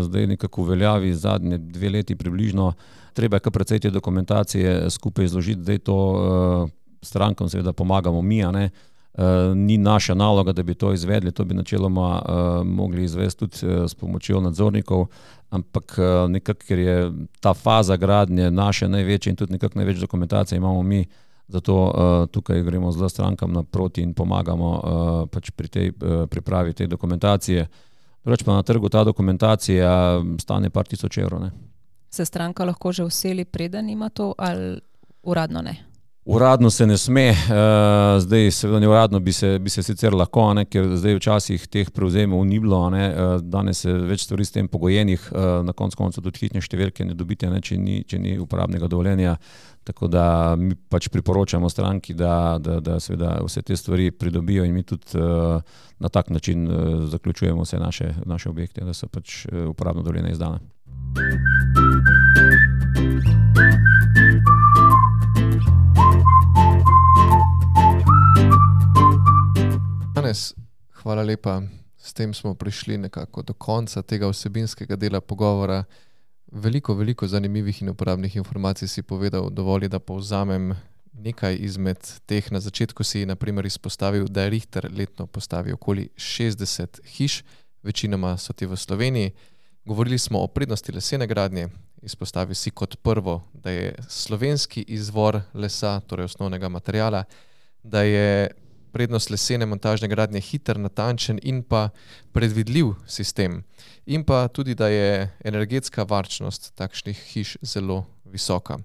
zdaj nekako v veljavi zadnje dve leti približno. Treba je kar precej te dokumentacije skupaj izložiti, zdaj to uh, strankam seveda pomagamo mi, a ne. Uh, ni naša naloga, da bi to izvedli, to bi načeloma uh, mogli izvesti tudi uh, s pomočjo nadzornikov, ampak uh, nekako, ker je ta faza gradnje naše največje in tudi nekako največ dokumentacije imamo mi, zato uh, tukaj gremo zelo strankam naproti in pomagamo uh, pač pri tej uh, pripravi te dokumentacije. Drugač pa na trgu ta dokumentacija stane par tisoč evrov. Ne. Se stranka lahko že vseli preden ima to ali uradno ne? Uradno se ne sme, uh, zdaj seveda ne uradno bi se, bi se sicer lahko, ne, ker zdaj včasih teh prevzemov ni bilo, ne, uh, danes je več stvari s tem pogojenih, uh, na koncu koncev tudi hitne številke ne dobite, ne, če ni, če ni uporabnega dovoljenja, tako da mi pač priporočamo stranki, da, da, da seveda vse te stvari pridobijo in mi tudi uh, na tak način uh, zaključujemo vse naše, naše objekte, da so pač uh, uporabno dovoljenja izdane. Hvala lepa. S tem smo prišli nekako do konca tega vsebinskega dela pogovora. Veliko, veliko zanimivih in uporabnih informacij si povedal, dovolj, da povzamem nekaj izmed teh. Na začetku si na primer izpostavil, da Richter letno postavi okoli šestdeset hiš, večinoma so ti v Sloveniji. Govorili smo o prednosti lesene gradnje, izpostavil si kot prvo, da je slovenski izvor lesa, torej osnovnega materiala, da je prednost lesene montažne gradnje hiter, natančen in pa predvidljiv sistem. In pa tudi, da je energetska varčnost takšnih hiš zelo visoka.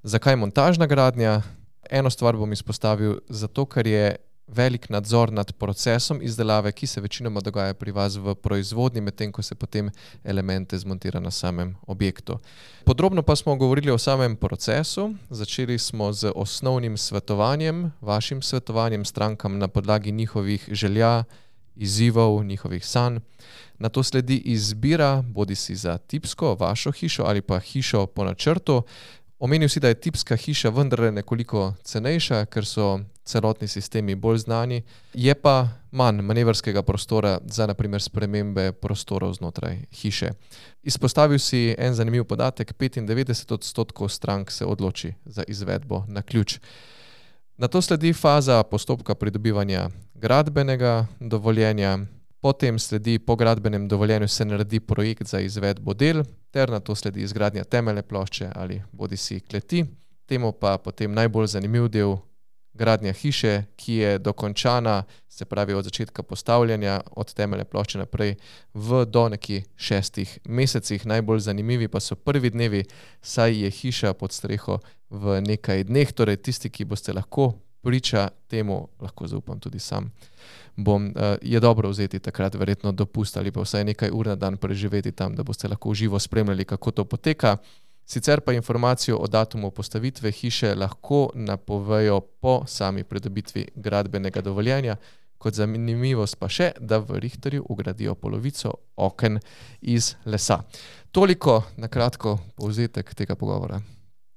Zakaj montažna gradnja? Eno stvar bom izpostavil, zato ker je velik nadzor nad procesom izdelave, ki se večinoma dogaja pri vas v proizvodnji, medtem ko se potem elemente zmontira na samem objektu. Podrobno pa smo govorili o samem procesu. Začeli smo z osnovnim svetovanjem, vašim svetovanjem strankam na podlagi njihovih želja, izzivov, njihovih sanj. Nato sledi izbira, bodisi za tipsko, vašo hišo ali pa hišo po načrtu. Omenil si, da je tipska hiša vendar nekoliko cenejša, ker so celotni sistemi bolj znani, je pa manj manevrskega prostora za na primer spremembe prostorov znotraj hiše. Izpostavil si en zanimiv podatek, petindevetdeset odstotkov strank se odloči za izvedbo na ključ. Nato sledi faza postopka pridobivanja gradbenega dovoljenja, potem sledi po gradbenem dovoljenju se naredi projekt za izvedbo del, ter nato sledi izgradnja temeljne plošče ali bodisi kleti. Temu pa potem najbolj zanimiv del, gradnja hiše, ki je dokončana, se pravi od začetka postavljanja, od temeljne plošče naprej, v do nekje šestih mesecih. Najbolj zanimivi pa so prvi dnevi, saj je hiša pod streho v nekaj dneh, torej tisti, ki boste lahko priča temu, lahko zaupam tudi sam, bom, uh, je dobro vzeti takrat verjetno dopust ali pa vsaj nekaj ur na dan preživeti tam, da boste lahko živo spremljali, kako to poteka. Sicer pa informacijo o datumu postavitve hiše lahko napovejo po sami pridobitvi gradbenega dovoljenja. Kot zanimivost pa še, da v Richterju ugradijo polovico oken iz lesa. Toliko na kratko povzetek tega pogovora.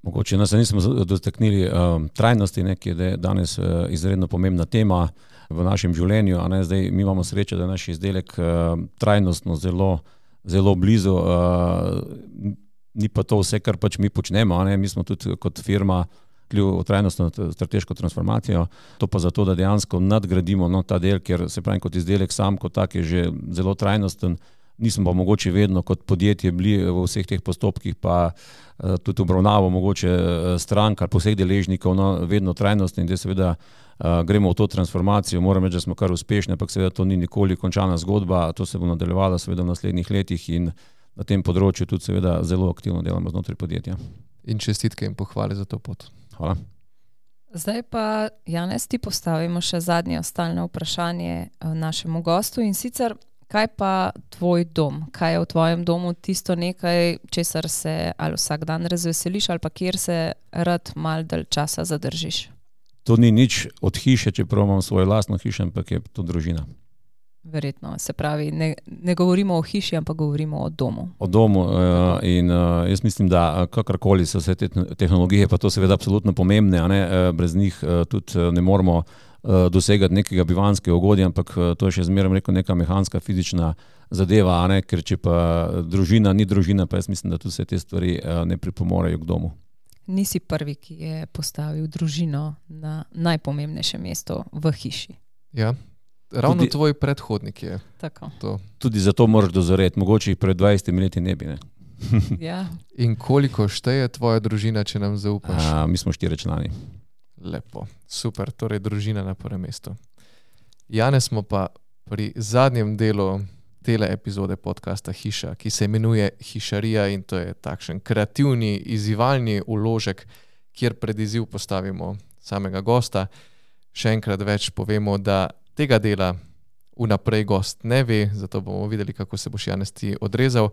Mogoče nas nismo dotaknili um, trajnosti, ne, ki je danes uh, izredno pomembna tema v našem življenju. A ne, zdaj mi imamo srečo, da je naš izdelek uh, trajnostno zelo, zelo blizu. Uh, ni pa to vse, kar pač mi počnemo. A ne. Mi smo tudi kot firma v trajnostno strateško transformacijo. To pa zato, da dejansko nadgradimo no, ta del, ker se pravi kot izdelek sam kot tak je že zelo trajnosten. Nismo pa mogoče vedno kot podjetje bili v vseh teh postopkih, pa uh, tudi obravnavo mogoče uh, strank ali poseh deležnikov, no, vedno trajnostni in da seveda uh, gremo v to transformacijo. Moram reči, da smo kar uspešni, ampak seveda to ni nikoli končana zgodba, to se bo nadaljevalo seveda v naslednjih letih in na tem področju tudi seveda zelo aktivno delamo znotraj podjetja. In čestitke in pohvale za to pot. Hvala. Zdaj pa, Janez, ti postavimo še zadnje stalno vprašanje našemu gostu in sicer, kaj pa tvoj dom? Kaj je v tvojem domu tisto nekaj, česar se ali vsak dan razveseliš ali pa kjer se rad malo dalj časa zadržiš? To ni nič od hiše, čeprav imam svojo lastno hišo, ampak je to družina. Verjetno, se pravi, ne, ne govorimo o hiši, ampak govorimo o domu. O domu uh, in uh, jaz mislim, da kakorkoli so vse te tehnologije, pa to seveda absolutno pomembne, a ne, uh, brez njih uh, tudi ne moramo uh, dosegati nekega bivanjskega ugodja, ampak uh, to je še zmeraj rekel neka mehanska, fizična zadeva, a ne, ker če pa družina ni družina, pa jaz mislim, da tudi vse te stvari uh, ne pripomorejo k domu. Nisi prvi, ki je postavil družino na najpomembnejše mesto v hiši. Ja. Ravno tudi, tvoj predhodnik je tako. To. Tudi zato moraš dozoreti, mogoče jih pred dvajsetimi leti ne bi. Ne? Ja. In koliko šteje tvoja družina, če nam zaupaš? A, mi smo štiri člani. Lepo, super, torej družina na prvem mestu. Janez, smo pa pri zadnjem delu tele epizode podcasta Hiša, ki se imenuje Hišarija in to je takšen kreativni, izzivalni vložek, kjer pred izziv postavimo samega gosta. Še enkrat več povemo, da tega dela vnaprej gost ne ve, zato bomo videli, kako se boš, Janez, ti odrezal.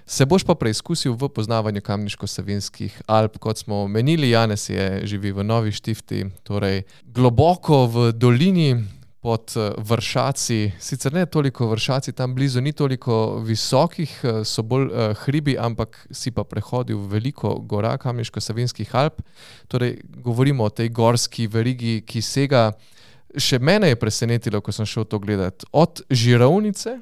Se boš pa preizkusil v poznavanju Kamniško-Savinjskih Alp. Kot smo omenili, Janez je živi v Novi Štifti, torej globoko v dolini pod Vršaci. Sicer ne toliko Vršaci, tam blizu ni toliko visokih, so bolj uh, hribi, ampak si pa prehodil veliko gora Kamniško-Savinjskih Alp. Torej govorimo o tej gorski verigi, ki sega. Še mene je presenetilo, ko sem šel to gledati. Od Žirovnice,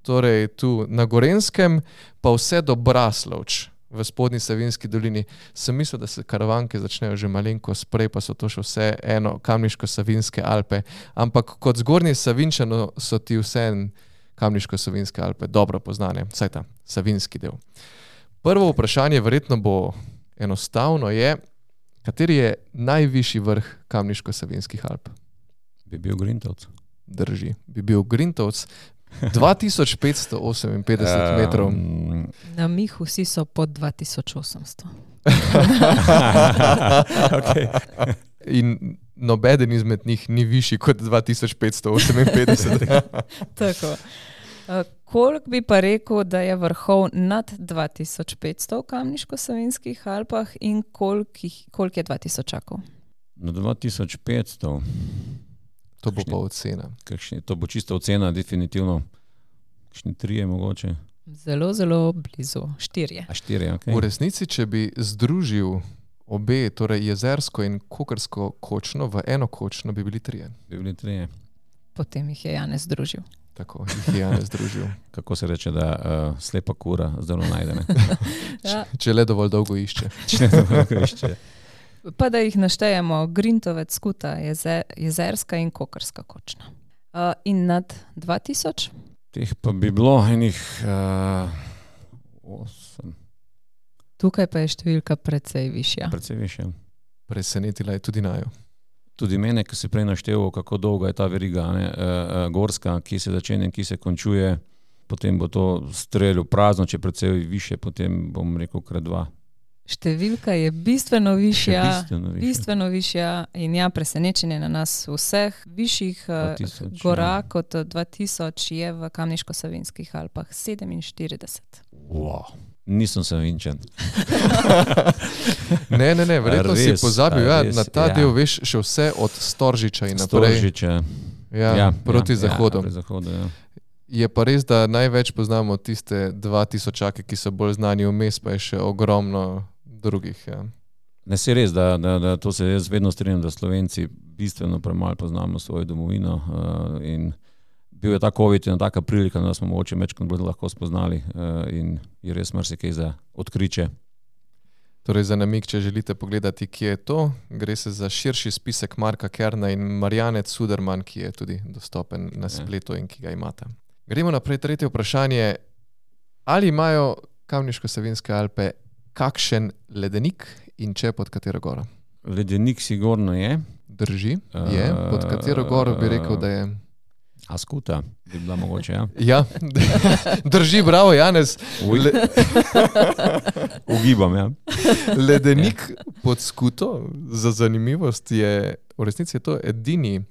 torej tu na Gorenskem, pa vse do Braslovč v spodnji Savinjski dolini. Sem mislil, da se karavanke začnejo že malenko sprej, pa so to še vse eno Kamniško-Savinjske Alpe. Ampak kot zgornji Savinjčano so ti vse Kamniško-Savinjske Alpe dobro poznane, vsaj ta savinjski del. Prvo vprašanje verjetno bo enostavno je, kateri je najvišji vrh Kamniško-Savinjskih Alp? Bi bil Grintovc. Drži, bi bil Grintovc. dva tisoč petsto oseminpetdeset metrov. Um, Na Mihu vsi so pod dva tisoč osemsto. Okay. In nobeden izmed njih ni višji kot dva tisoč petsto oseminpetdeset. Tako. Uh, koliko bi pa rekel, da je vrhov nad dva tisoč petsto v Kamniško-Savinjskih Alpah in koliko, koliko je dva tisočakov? Na dva tisoč petsto. To bo pa ocena. Kakšni, to bo čisto ocena, definitivno. Kakšni trije mogoče. Zelo, zelo blizu. Štirje. A štirje, ok. V resnici, če bi združil obe, torej jezersko in kokrsko kočno, v eno kočno bi bili trije. Bi bili trije. Potem jih je Janez združil. Tako, jih je Janez združil. Kako se reče, da uh, slepa kura zdaj najde, ne? Ja. Če, če le dovolj dolgo išče. Če le dovolj išče. Pa da jih naštejemo, Grintovec, Skuta, jezer, jezerska in kokrska kočna. Uh, in nad dva tisoč? Teh pa bi bilo enih uh, osem. Tukaj pa je številka precej višja. Precej višja. Presenetila je tudi najo. tudi mene, ki si prej naštel, kako dolga je ta veriga, ne, uh, gorska, ki se začne in ki se končuje, potem bo to streljil prazno, če precej više, potem bom rekel krat dva. Številka je bistveno višja, bistveno višja. bistveno višja in ja, presenečenje na nas vseh višjih uh, gora ja. kot dva tisoč je v Kamniško-Savinjskih Alpah sedeminštirideset. Wow. Nisem Savinjčan. ne, ne, ne, verjetno res, si pozabil ja, res, na ta ja. del, veš, še vse od Storžiča in naprej. Storžiča. Ja, ja, proti ja, zahodu. Ja, proti zahodu ja. Je pa res, da največ poznamo tiste dva tisočake, ki so bolj znani vmes, pa je še ogromno drugih. Ja. Ne, se res, da, da, da to se jaz vedno strinjam, da Slovenci bistveno premalo poznamo svojo domovino uh, in bil je ta COVID in taka prilika, da smo mogoče večkrat bolj lahko spoznali uh, in je res marsikaj za odkriče. Torej za namig, če želite pogledati, kje je to, gre se za širši spisek Marka Kerna in Marjane Cuderman, ki je tudi dostopen na spletu in ki ga imate. Gremo naprej, tretje vprašanje. Ali imajo Kamniško-Savinjske Alpe kakšen ledenik in če pod katero goro? Ledenik sigurno je. Drži, je. Pod katero goro bi rekel, da je? Askuta bi bila mogoče, ja. Ja, drži, bravo, Janez. Le... Ugibam, ja. Ledenik pod Skuto, za zanimivost je, v resnici je to edini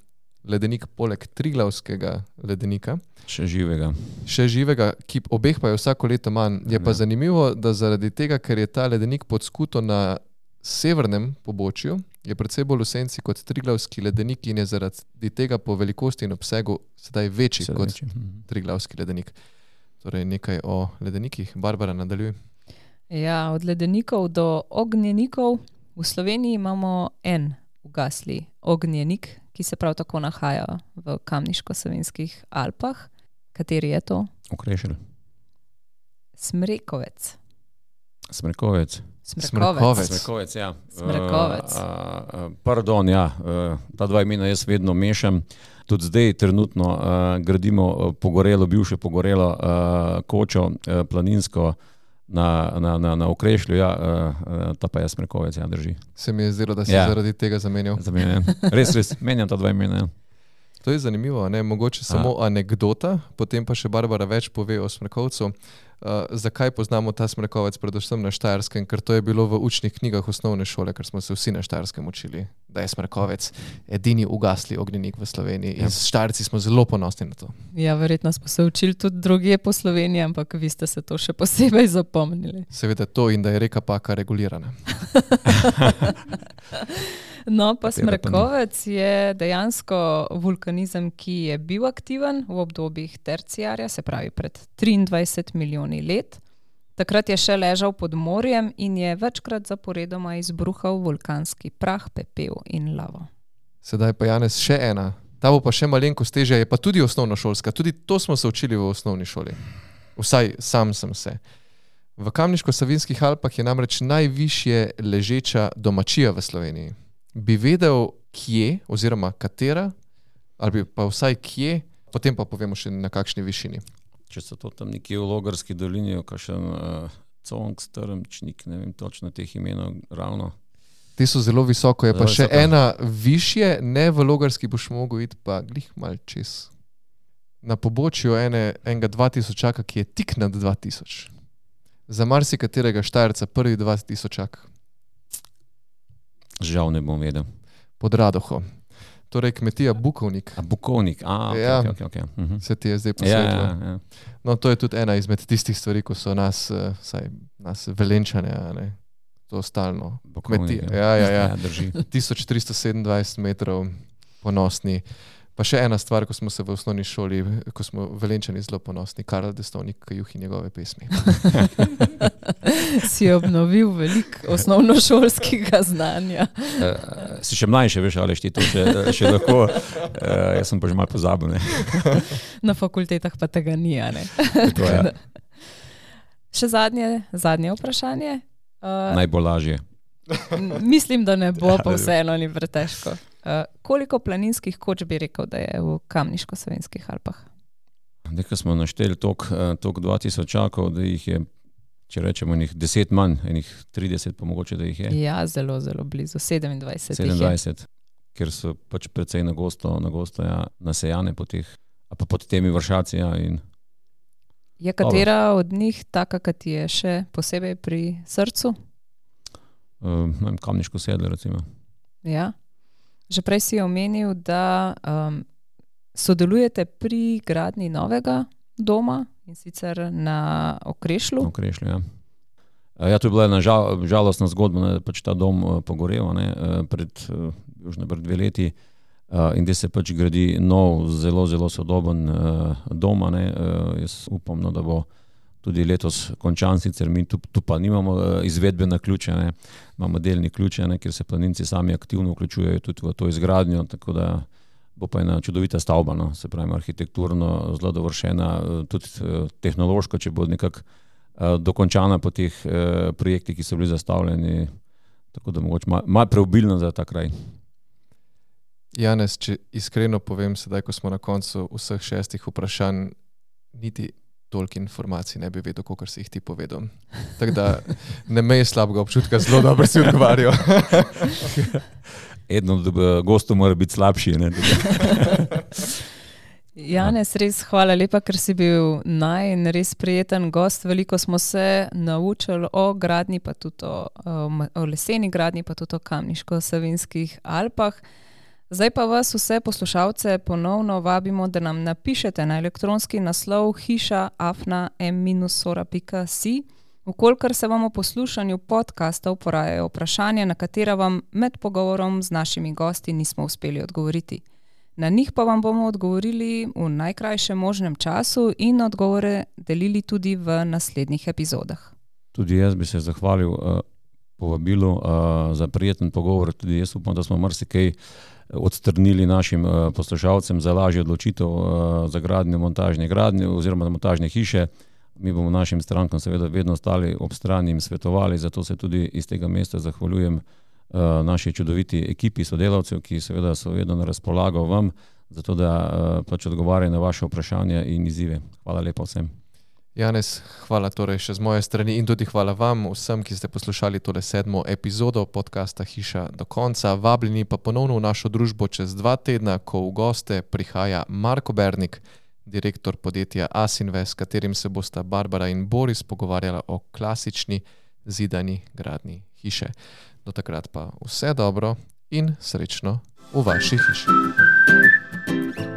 ledenik poleg Triglavskega ledenika. Še živega. Še živega, ki obeh pa je vsako leto manj. Je pa ja. zanimivo, da zaradi tega, ker je ta ledenik pod Skuto na severnem pobočju, je predvsej bolj v senci kot Triglavski ledenik in je zaradi tega po velikosti in obsegu sedaj večji Sedaj kot večji. Triglavski ledenik. Torej nekaj o ledenikih. Barbara, nadaljuj. Ja, od ledenikov do ognjenikov. V Sloveniji imamo en ugasli ognjenik, ki se prav tako nahaja v Kamniško-Savinjskih Alpah. Kateri je to? Okrešelj. Smrekovec. Smrekovec. Smrekovec. Smrekovec, ja. Smrekovec. Uh, uh, pardon, ja, uh, ta dva imena jaz vedno mešam. Tudi zdaj trenutno uh, gradimo pogorelo, bivše pogorelo uh, kočo uh, planinsko na, na, na, na Okrešlju, ja, uh, ta pa je Smrekovec, ja, drži. Se mi je zdelo, da si ja. zaradi tega zamenjal. Zamenjam. Res, res, menjam ta dva imena, ja. To je zanimivo, ne? Mogoče samo A. anekdota, potem pa še Barbara več pove o Smrekovcu. Uh, zakaj poznamo ta Smrekovec predvsem na Štajerskem? Ker to je bilo v učnih knjigah osnovne šole, ker smo se vsi na Štajerskem učili, da je Smrekovec edini ugasli ognjenik v Sloveniji. In s Štajerci smo zelo ponosni na to. Ja, verjetno smo se učili tudi drugje po Sloveniji, ampak vi ste se to še posebej zapomnili. Seveda to in da je reka Paka regulirana. No, pa Smrekovec je dejansko vulkanizem, ki je bil aktiven v obdobjih terciarja, se pravi pred triindvajset milijoni let. Takrat je še ležal pod morjem in je večkrat zaporedoma izbruhal vulkanski prah, pepel in lavo. Sedaj pa Janez še ena. Ta bo pa še malenkost težja, je pa tudi osnovnošolska. Tudi to smo se učili v osnovni šoli. Vsaj sam sem se. V Kamniško-Savinjskih Alpah je namreč najvišje ležeča domačija v Sloveniji. Bi vedel, kje oziroma katera, ali pa vsaj kje, potem pa povemo še na kakšni višini. Če so to tam nekje v Logarski dolini, kakšen uh, Cong, Strmčnik, ne vem točno teh imenov ravno. Te so zelo visoko, je zelo pa še visoko. Ena višje, ne v Logarski boš mogel iti pa glih mal čez. Na pobočju ene, enega dva tisočaka, ki je tik nad dva tisoč. Za marsikaterega Štajerca prvi dva tisočak. Žal ne bom vedel. Pod Radoho. Torej kmetija Bukovnik. A Bukovnik, a, ok, ja, ok, ok. okay. Uh-huh. Se ti je zdaj posvetilo. Ja, ja, ja. No, to je tudi ena izmed tistih stvari, ko so nas, saj, nas Velenčane, ne, to stalno. Bukovnik, kmetija. Ja, ja, ja. ja drži. tisoč tristo sedemindvajset metrov ponosni. Pa še ena stvar, ko smo se v osnovni šoli, ko smo Velenčani zelo ponosni, Karel Destovnik, Kajuh in njegove pesmi. Si obnovil veliko osnovnošolskega znanja. Uh, si še mlajši, veš, ali ti to še, še lahko. Uh, jaz sem pa že malo pozabil. Ne? Na fakultetah pa tega ni, a ne? To, ja. Še zadnje, zadnje vprašanje. Uh, Najbolj lažje. Mislim, da ne bo, pa vseeno ni pretežko. Uh, koliko planinskih koč bi rekel, da je v Kamniško-Savinjskih Alpah? Nekaj smo našteli toliko dva tisočakov, da jih je, če rečemo, enih deset manj, enih trideset pa mogoče, da jih je. Ja, zelo, zelo blizu, sedemindvajset. sedemindvajset. ker so pač precej nagosto, nagosto ja, nasejane po teh, a pa pod temi vršaci. Ja, in je katera od njih taka, ki ti je še posebej pri srcu? Uh, ne vem, Kamniško sedlo, recimo. Ja. Že prej si omenil, da um, sodelujete pri gradnji novega doma, in sicer na Okrešlju. Na Okrešlju, ja. Ja, to je bila ena žal, žalostna zgodba, ne, pač ta dom uh, pogorel ne, uh, pred, uh, pred dve leti uh, in da se pač gradi nov, zelo, zelo sodoben uh, dom. Ne, uh, jaz upam, no, da bo tudi letos končan, sicer mi tu, tu pa nimamo uh, izvedbene ključe, ne, imamo delni ključe, ne, ker se planinci sami aktivno vključujejo tudi v to izgradnjo, tako da bo pa ena čudovita stavba, no, se pravi arhitekturno zelo dovršena, tudi uh, tehnološko, če bo nekako uh, dokončana po teh uh, projektih, ki so bili zastavljeni, tako da mogoče malo mal preobilno za ta kraj. Janez, če iskreno povem, sedaj, ko smo na koncu vseh šestih vprašanj, niti toliko informacij ne bi vedel, kakor si jih ti povedal. Tako da ne mej slabega občutka, zelo dobro si odgovarjal. Edno od gostov mora biti slabši. Ne? Janez, res hvala lepa, ker si bil naj in res prijeten gost. Veliko smo se naučili o gradnji, pa tudi o, o leseni gradnji, pa tudi o Kamniško-Savinjskih Alpah. Zdaj pa vas vse poslušalce ponovno vabimo, da nam napišete na elektronski naslov hiša afna m sora pika si, vkolikor se vam v poslušanju podcastov porajajo vprašanja, na katera vam med pogovorom z našimi gosti nismo uspeli odgovoriti. Na njih pa vam bomo odgovorili v najkrajšem možnem času in odgovore delili tudi v naslednjih epizodah. Tudi jaz bi se zahvalil uh, povabilu uh, za prijeten pogovor. Tudi jaz upam, da smo marsikaj odstrnili našim uh, poslušalcem za lažjo odločitev uh, za gradnjo montažne gradnje oziroma montažne hiše. Mi bomo našim strankam seveda vedno stali ob strani in svetovali, zato se tudi iz tega mesta zahvaljujem uh, naši čudoviti ekipi sodelavcev, ki seveda so vedno na razpolago vam, zato da uh, pač odgovarjajo na vaše vprašanja in izzive. Hvala lepa vsem. Janez, hvala torej še z moje strani in tudi hvala vam vsem, ki ste poslušali tole sedmo epizodo podcasta Hiša do konca. Vabljeni pa ponovno v našo družbo čez dva tedna, ko v goste prihaja Marko Bernik, direktor podjetja Asinvest, s katerim se bosta Barbara in Boris pogovarjala o klasični zidani gradnji hiše. Do takrat pa vse dobro in srečno v vaši hiši.